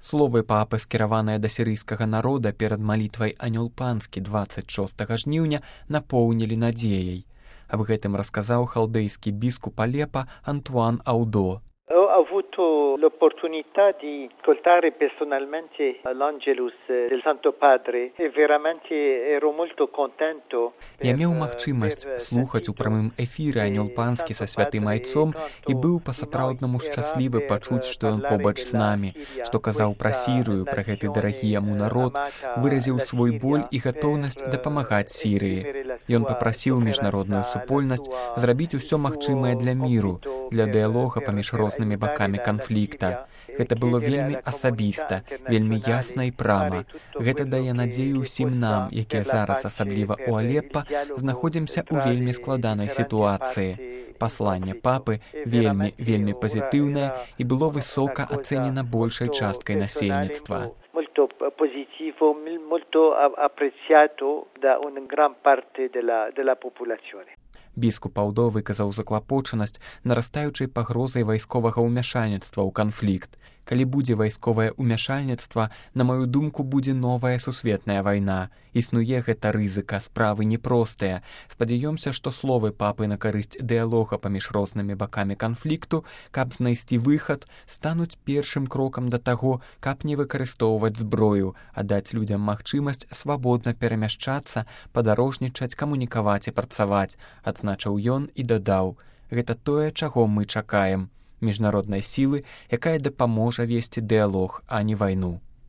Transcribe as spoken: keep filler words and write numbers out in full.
Словы папы, скіраваныя да сірыйскага народа перад малітвай Анёл панскі дваццаць шостага жніўня, напоўнілі надзеяй. Аб гэтым расказаў халдэйскі біскуп Алепа Антуан Аудо. Ho avuto l'opportunità di ascoltare personalmente l'Angelus del Santo Padre e veramente ero molto contento. Я меў магчымасць слухаць у прамым эфіры Анёл панскі са святым айцом і быў па-сапраўднаму шчаслівы пачуць, што ён побач з намі, што казаў пра Сірыю, пра гэты дарагі яму народ, выразіў свой боль і гатоўнасць дапамагаць Сірыі. Ён папрасіў міжнародную супольнасць зрабіць усё магчымае для міру, для дыялога паміж рознымі бакамі канфлікта. Гэта было вельмі асабіста, вельмі ясна і прама. Гэта дае надзею ўсім нам, якія зараз, асабліва ў Алеппа, знаходзімся ў вельмі складанай сітуацыі. Пасланне папы вельмі, вельмі пазітыўнае і было высока ацэнена большай часткай насельніцтва. Molto positivo, molto apprezzato da una gran parte della, della popolazione. Біскуп Аудо выказаў заклапочанасць нарастаючай пагрозай вайсковага ўмяшальніцтва ў канфлікт. Калі будзе вайсковае ўмяшальніцтва, на маю думку, будзе новая сусветная вайна. Існуе гэта рызыка, справы непростыя. Спадзяёмся, што словы папы на карысць дыялога паміж рознымі бакамі канфлікту, каб знайсці выхад, стануць першым крокам да таго, каб не выкарыстоўваць зброю, а даць людзям магчымасць свабодна перамяшчацца, падарожнічаць, камунікаваць і працаваць, адзначыў ён і дадаў: гэта тое, чаго мы чакаем. Міжнароднай сілы, якая дапаможа весці дыялог, а не вайну.